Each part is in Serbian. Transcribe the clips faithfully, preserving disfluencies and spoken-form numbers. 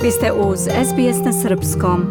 Vi ste uz S B S na srpskom.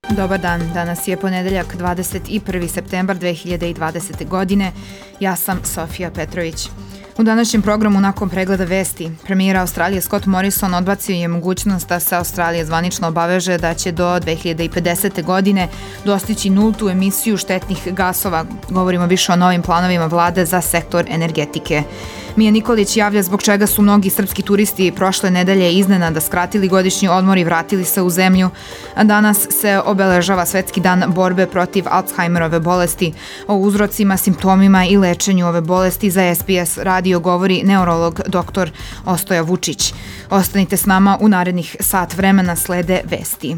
Dobar dan, danas je ponedeljak dvadeset prvi septembar dve hiljade dvadesete. godine. Ja sam Sofija Petrović. U današnjem programu nakon pregleda vesti, premijer Australije Scott Morrison odbacio je mogućnost da se Australija zvanično obaveže da će do dve hiljade pedesete. godine dostići nultu emisiju štetnih gasova. Govorimo više o novim planovima vlade za sektor energetike. Mija Nikolić javlja zbog čega su mnogi srpski turisti prošle nedelje iznenada skratili godišnji odmor i vratili se u zemlju. A danas se obeležava Svetski dan borbe protiv Alzheimerove bolesti. O uzrocima, simptomima i lečenju ove bolesti za S B S radio govori neurolog doktor Ostoja Vučić. Ostanite s nama, u narednih sat vremena slede vesti.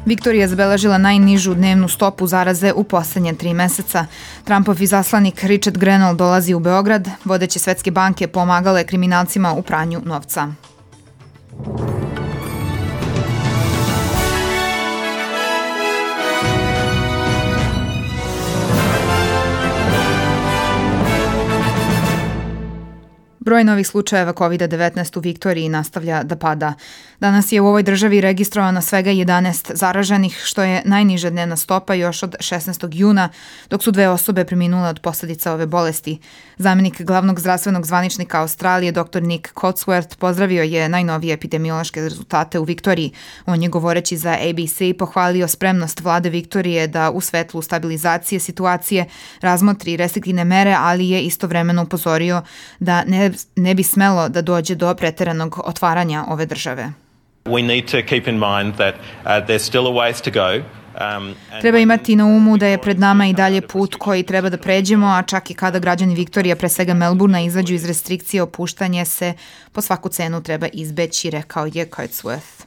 Viktorija je zabeležila najnižu dnevnu stopu zaraze u poslednje tri meseca. Trumpov izaslanik Richard Grenell dolazi u Beograd. Vodeće svetske banke pomagale kriminalcima u pranju novca. Broj novih slučajeva kovid devetnaest u Viktoriji nastavlja da pada. Danas je u ovoj državi registrovano svega jedanaest zaraženih, što je najniža dnevna stopa još od šesnaestog juna, dok su dve osobe preminule od posledica ove bolesti. Zamenik glavnog zdravstvenog zvaničnika Australije, dr Nick Cotsworth, pozdravio je najnovije epidemiološke rezultate u Viktoriji. On je, govoreći za A B C, pohvalio spremnost vlade Viktorije da u svetlu stabilizacije situacije razmotri restriktivne mere, ali je istovremeno upozorio da ne ne bi smelo da dođe do preteranog otvaranja ove države. We need to keep in mind that uh, there's still a ways to go. Um, Treba imati na umu da je pred nama i dalje put koji treba da pređemo, a čak i kada građani Viktorija, pre svega Melbourna, izađu iz restrikcije, opuštanje se po svaku cenu treba izbeći, rekao je Cotsworth.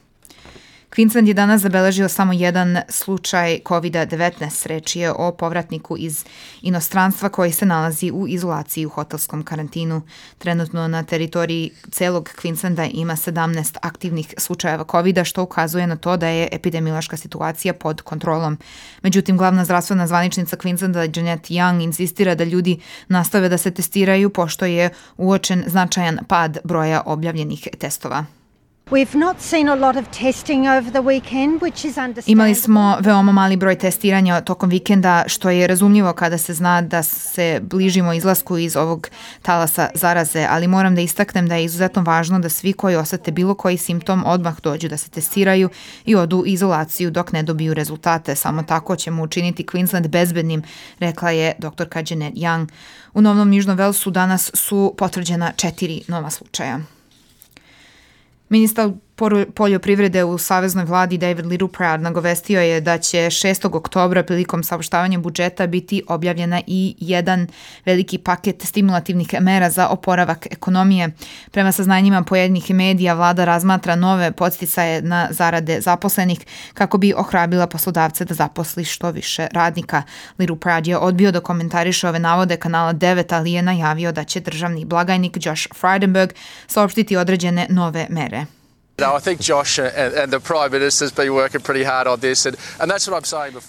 Queensland je danas zabeležio samo jedan slučaj kovid devetnaest. Reč je o povratniku iz inostranstva koji se nalazi u izolaciji u hotelskom karantinu. Trenutno na teritoriji celog Queenslanda ima sedamnaest aktivnih slučajeva kovida, što ukazuje na to da je epidemiološka situacija pod kontrolom. Međutim, glavna zdravstvena zvaničnica Queenslanda Janet Young insistira da ljudi nastave da se testiraju, pošto je uočen značajan pad broja objavljenih testova. Imali smo veoma mali broj testiranja tokom vikenda, što je razumljivo kada se zna da se bližimo izlasku iz ovog talasa zaraze, ali moram da istaknem da je izuzetno važno da svi koji osete bilo koji simptom odmah dođu da se testiraju i odu u izolaciju dok ne dobiju rezultate. Samo tako ćemo učiniti Queensland bezbednim, rekla je doktorka Janet Young. U Novnom Južnom Velsu danas su potvrđena četiri nova slučaja. Ministar poljoprivrede u saveznoj vladi David Littleproud nagovestio je da će šestog oktobra prilikom saopštavanja budžeta biti objavljena i jedan veliki paket stimulativnih mera za oporavak ekonomije. Prema saznanjima pojedinih medija, vlada razmatra nove podsticaje na zarade zaposlenih kako bi ohrabrila poslodavce da zaposli što više radnika. Littleproud je odbio da komentariše ove navode kanala devet, ali je najavio da će državni blagajnik Josh Frydenberg saopštiti određene nove mere.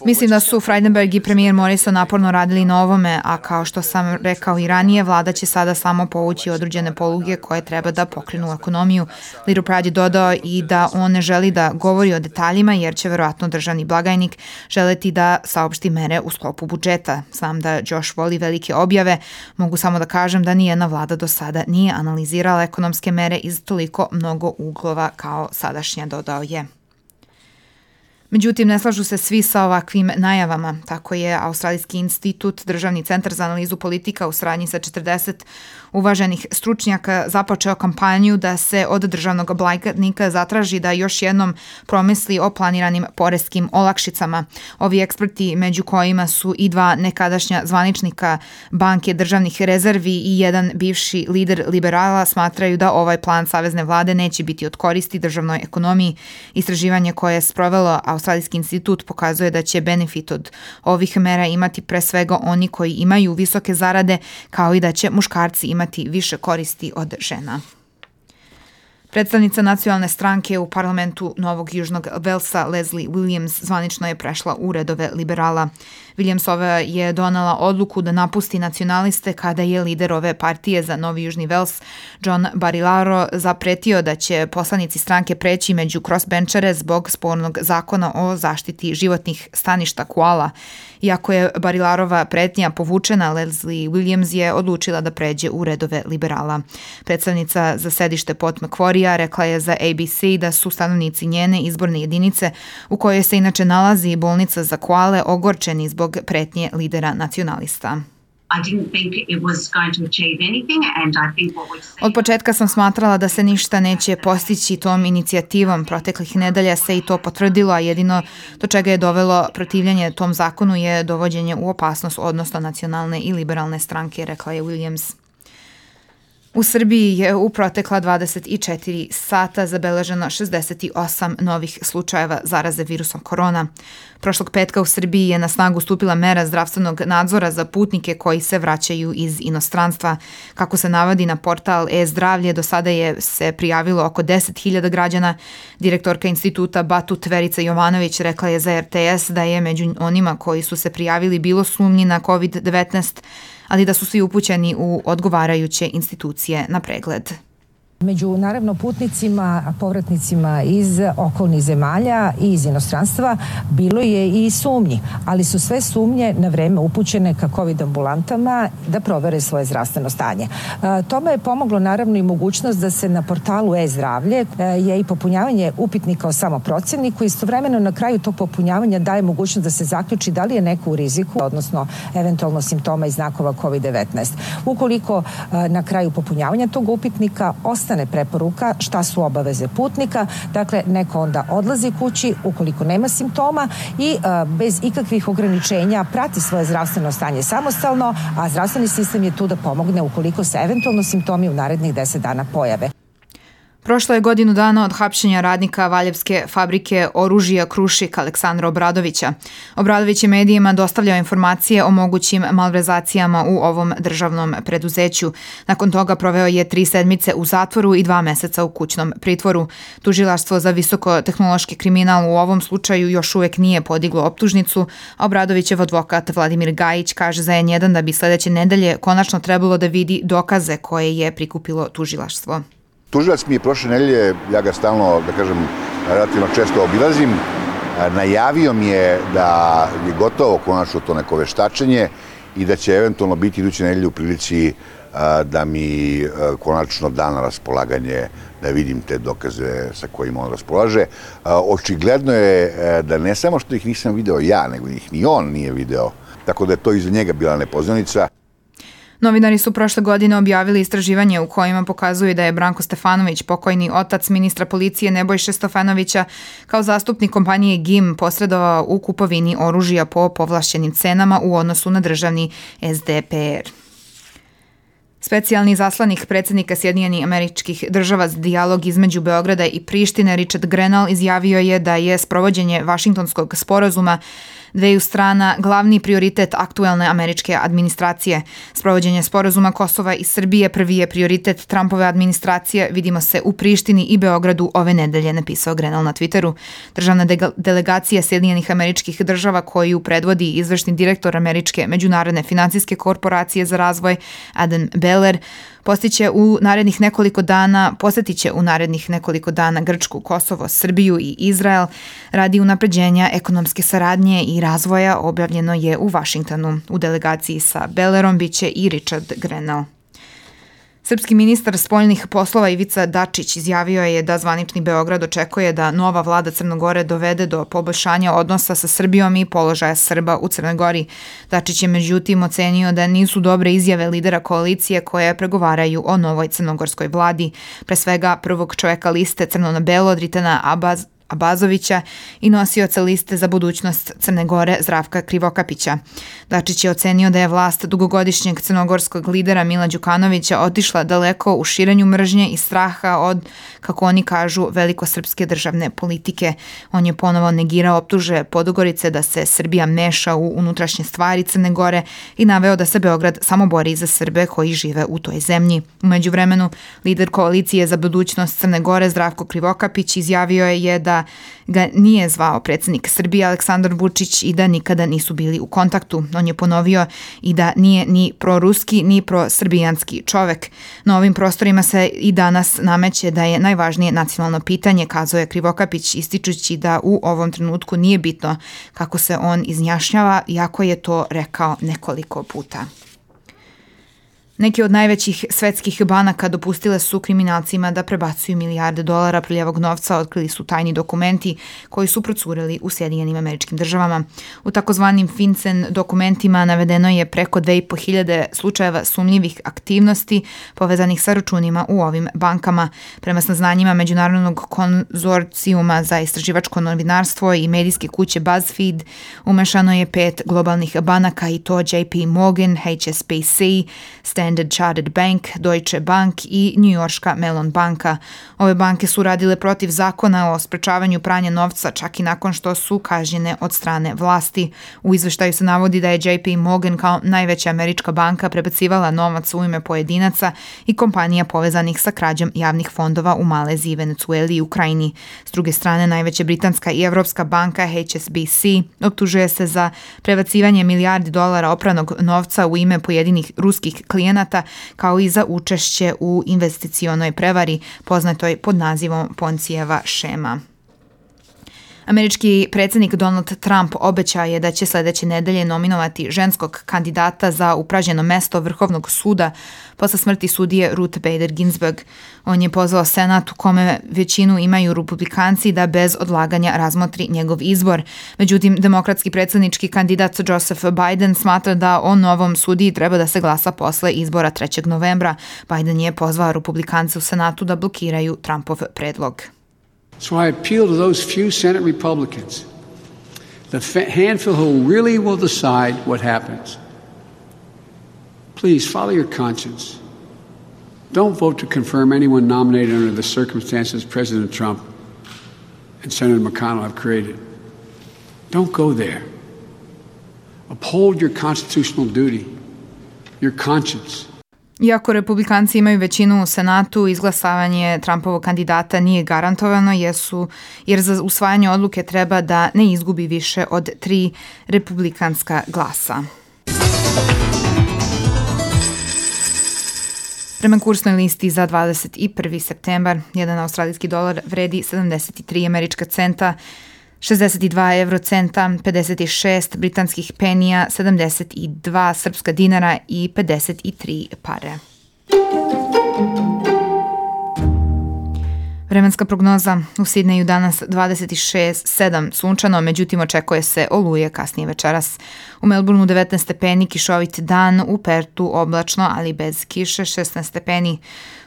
Mislim da su Frydenberg i premijer Morrison naporno radili na ovome, a kao što sam rekao i ranije, vlada će sada samo povući određene poluge koje treba da pokrenu ekonomiju. Littleproud je dodao i da on ne želi da govori o detaljima, jer će verovatno državni blagajnik želeti da saopšti mere u sklopu budžeta. Znam da Josh voli velike objave, mogu samo da kažem da nijedna vlada do sada nije analizirala ekonomske mere iz toliko mnogo uglova kao sadašnja, dodao je. Međutim, ne slažu se svi sa ovakvim najavama. Tako je Australijski institut, Državni centar za analizu politika u saradnji sa četrdeset uvaženih stručnjaka započeo kampanju da se od državnog blagajnika zatraži da još jednom promisli o planiranim poreskim olakšicama. Ovi eksperti, među kojima su i dva nekadašnja zvaničnika banke državnih rezervi i jedan bivši lider liberala, smatraju da ovaj plan savezne vlade neće biti od koristi državnoj ekonomiji. Istraživanje koje je sprovelo Australijski institut pokazuje da će benefit od ovih mera imati pre svega oni koji imaju visoke zarade, kao i da će muškarci imati više koristi od žena. Predstavnica nacionalne stranke u parlamentu Novog Južnog Velsa Leslie Williams zvanično je prešla u redove liberala. Williamsova je donela odluku da napusti nacionaliste kada je lider ove partije za Novi Južni Vels, John Barilaro, zapretio da će poslanici stranke preći među crossbenčere zbog spornog zakona o zaštiti životnih staništa koala. Iako je Barilarova pretnja povučena, Leslie Williams je odlučila da pređe u redove liberala. Predstavnica za sedište Port Macquarie rekla je za A B C da su stanovnici njene izborne jedinice, u kojoj se inače nalazi bolnica za koale, ogorčeni zbog pretnje lidera nacionalista. Od početka sam smatrala da se ništa neće postići tom inicijativom. Proteklih nedelja se i to potvrdilo, a jedino do čega je dovelo protivljenje tom zakonu je dovođenje u opasnost odnosno nacionalne i liberalne stranke, rekla je Williams. U Srbiji je u protekla dvadeset četiri sata zabeleženo šezdeset osam novih slučajeva zaraze virusom korona. Prošlog petka u Srbiji je na snagu stupila mera zdravstvenog nadzora za putnike koji se vraćaju iz inostranstva. Kako se navodi na portal e-zdravlje, do sada je se prijavilo oko deset hiljada građana. Direktorka instituta Batut Verica Jovanović rekla je za R T S da je među onima koji su se prijavili bilo sumnji na kovid devetnaest, ali da su svi upućeni u odgovarajuće institucije na pregled. Među naravno putnicima, povratnicima iz okolnih zemalja i iz inostranstva bilo je i sumnji, ali su sve sumnje na vreme upućene ka COVID ambulantama da provere svoje zdravstveno stanje. E, tome je pomoglo naravno i mogućnost da se na portalu e-zdravlje e, je i popunjavanje upitnika o samoprocjeniku. Istovremeno na kraju tog popunjavanja daje mogućnost da se zaključi da li je neko u riziku, odnosno eventualno simptoma i znakova kovid devetnaest. Ukoliko e, na kraju popunjavanja tog upitnika ostane preporuka šta su obaveze putnika, dakle neko onda odlazi kući ukoliko nema simptoma i a, bez ikakvih ograničenja prati svoje zdravstveno stanje samostalno, a zdravstveni sistem je tu da pomogne ukoliko se eventualno simptomi u narednih deset dana pojave. Prošlo je godinu dana od hapšenja radnika Valjevske fabrike oružja Krušik Aleksandra Obradovića. Obradović je medijima dostavljao informacije o mogućim malverzacijama u ovom državnom preduzeću. Nakon toga proveo je tri sedmice u zatvoru i dva meseca u kućnom pritvoru. Tužilaštvo za visokotehnološki kriminal u ovom slučaju još uvek nije podiglo optužnicu, a Obradovićev advokat Vladimir Gajić kaže za N jedan da bi sledeće nedelje konačno trebalo da vidi dokaze koje je prikupilo tužilaštvo. Tužilac mi je prošle nedelje, ja ga stalno, da kažem, relativno često obilazim, najavio mi je da je gotovo konačno to neko veštačenje i da će eventualno biti iduće nedelje u prilici da mi konačno da na raspolaganje da vidim te dokaze sa kojima on raspolaže. Očigledno je da ne samo što ih nisam video ja, nego ih ni on nije video, tako da je to i za njega bila nepoznanica. Novinari su prošle godine objavili istraživanje u kojima pokazuju da je Branko Stefanović, pokojni otac ministra policije Nebojše Stefanovića, kao zastupnik kompanije G I M posredovao u kupovini oružja po povlašćenim cenama u odnosu na državni S D P R. Specijalni zaslanik predsjednika Sjedinjenih Američkih Država za dijalog između Beograda i Prištine Richard Grenell izjavio je da je sprovođenje Vašingtonskog sporazuma dveju strana glavni prioritet aktuelne američke administracije. Sprovođenje sporazuma Kosova i Srbije prvi je prioritet Trumpove administracije. Vidimo se u Prištini i Beogradu ove nedelje, napisao Grenell na Twitteru. Državna de- delegacija Sjedinjenih Američkih Država koju predvodi izvršni direktor Američke međunarodne financijske korporacije za razvoj Adam Beller postiće u narednih nekoliko dana, posjetiće u narednih nekoliko dana Grčku, Kosovo, Srbiju i Izrael radi unapređenja ekonomske saradnje i razvoja, objavljeno je u Vašingtonu. U delegaciji sa Bellerom biće i Richard Grenell. Srpski ministar spoljnih poslova Ivica Dačić izjavio je da zvanični Beograd očekuje da nova vlada Crne Gore dovede do poboljšanja odnosa sa Srbijom i položaja Srba u Crnoj Gori. Dačić je međutim ocenio da nisu dobre izjave lidera koalicije koje pregovaraju o novoj crnogorskoj vladi. Pre svega prvog čoveka liste Crno na belo Dritana Abaz, Abazovića i nosioca liste za budućnost Crne Gore Zdravka Krivokapića. Dačić je ocenio da je vlast dugogodišnjeg crnogorskog lidera Mila Đukanovića otišla daleko u širenju mržnje i straha od, kako oni kažu, velikosrpske državne politike. On je ponovo negirao optuže Podgorice da se Srbija meša u unutrašnje stvari Crne Gore i naveo da se Beograd samo bori za Srbe koji žive u toj zemlji. U međuvremenu, lider koalicije za budućnost Crne Gore Zdravko Krivokapić izjavio je da ga nije zvao predsjednik Srbije Aleksandar Vučić i da nikada nisu bili u kontaktu. On je ponovio i da nije ni proruski ni prosrbijanski čovek. Na ovim prostorima se i danas nameće da je najvažnije nacionalno pitanje, kazao je Krivokapić, ističući da u ovom trenutku nije bitno kako se on izjašnjava, iako je to rekao nekoliko puta. Neke od najvećih svetskih banaka dopustile su kriminalcima da prebacuju milijarde dolara prljavog novca, otkrili su tajni dokumenti koji su procureli u Sjedinjenim Američkim Državama. U takozvanim FinCEN dokumentima navedeno je preko dve i po hiljade slučajeva sumnjivih aktivnosti povezanih sa računima u ovim bankama. Prema saznanjima Međunarodnog konzorcijuma za istraživačko novinarstvo i medijske kuće BuzzFeed, umešano je pet globalnih banaka i to J P Morgan, H S B C, Standard Chartered Bank, Deutsche Bank i njujorška Mellon banka. Ove banke su radile protiv zakona o sprečavanju pranja novca čak i nakon što su kažnjene od strane vlasti. U izveštaju se navodi da je J P Morgan kao najveća američka banka prebacivala novac u ime pojedinaca i kompanija povezanih sa krađom javnih fondova u Maleziji, Venecueli i Ukrajini. S druge strane, najveća britanska i evropska banka H S B C optužuje se za prebacivanje milijardi dolara opranog novca u ime pojedinih ruskih klijenata, kao i za učešće u investicionoj prevari, poznatoj pod nazivom Poncijeva šema. Američki predsjednik Donald Trump obećao je da će sledeće nedelje nominovati ženskog kandidata za upražnjeno mesto Vrhovnog suda posle smrti sudije Ruth Bader Ginsburg. On je pozvao Senat u kome većinu imaju republikanci da bez odlaganja razmotri njegov izbor. Međutim, demokratski predsjednički kandidat Joseph Biden smatra da o novom sudiji treba da se glasa posle izbora trećeg novembra. Biden je pozvao republikance u Senatu da blokiraju Trumpov predlog. So I appeal to those few Senate Republicans, the handful who really will decide what happens. Please follow your conscience. Don't vote to confirm anyone nominated under the circumstances President Trump and Senator McConnell have created. Don't go there. Uphold your constitutional duty, your conscience. Iako republikanci imaju većinu u Senatu, izglasavanje Trumpovog kandidata nije garantovano jesu, jer za usvajanje odluke treba da ne izgubi više od tri republikanska glasa. Prema kursnoj listi za dvadeset prvi septembar, jedan australijski dolar vredi sedamdeset tri američka centa, šezdeset dva evrocenta, pedeset šest britanskih penija, sedamdeset dva srpska dinara i pedeset tri pare. Vremenska prognoza: u Sidneju danas dvadeset šest sedam sunčano, međutim očekuje se oluje kasnije večeras. U Melbourneu devetnaest stepeni, kišovit dan, u Pertu oblačno, ali bez kiše, šesnaest stepeni.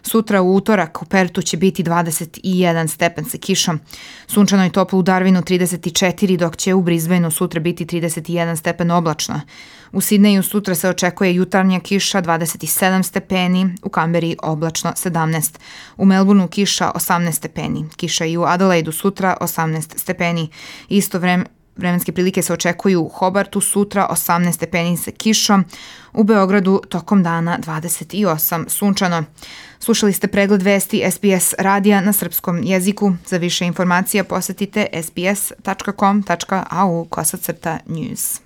Sutra u utorak u Pertu će biti dvadeset jedan stepen sa kišom. Sunčano i toplo u Darwinu trideset četiri, dok će u Brisbaneu sutra biti trideset jedan stepen oblačno. U Sidneju sutra se očekuje jutarnja kiša dvadeset sedam stepeni, u Kamberi oblačno sedamnaest. U Melbourneu kiša osamnaest stepeni. Kiša i u Adelaidu sutra osamnaest stepeni. Isto vreme Vremenske prilike se očekuju u Hobartu sutra osamnaest stepeni sa kišom, u Beogradu tokom dana dvadeset osam sunčano. Slušali ste pregled vesti S B S radija na srpskom jeziku. Za više informacija posetite s b s tačka com tačka a u kosacrta news.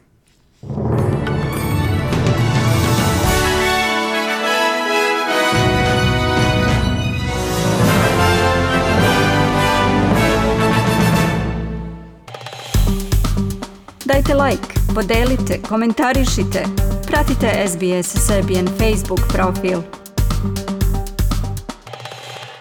Dajte like, podelite, komentarišite, pratite S B S Serbian Facebook profil.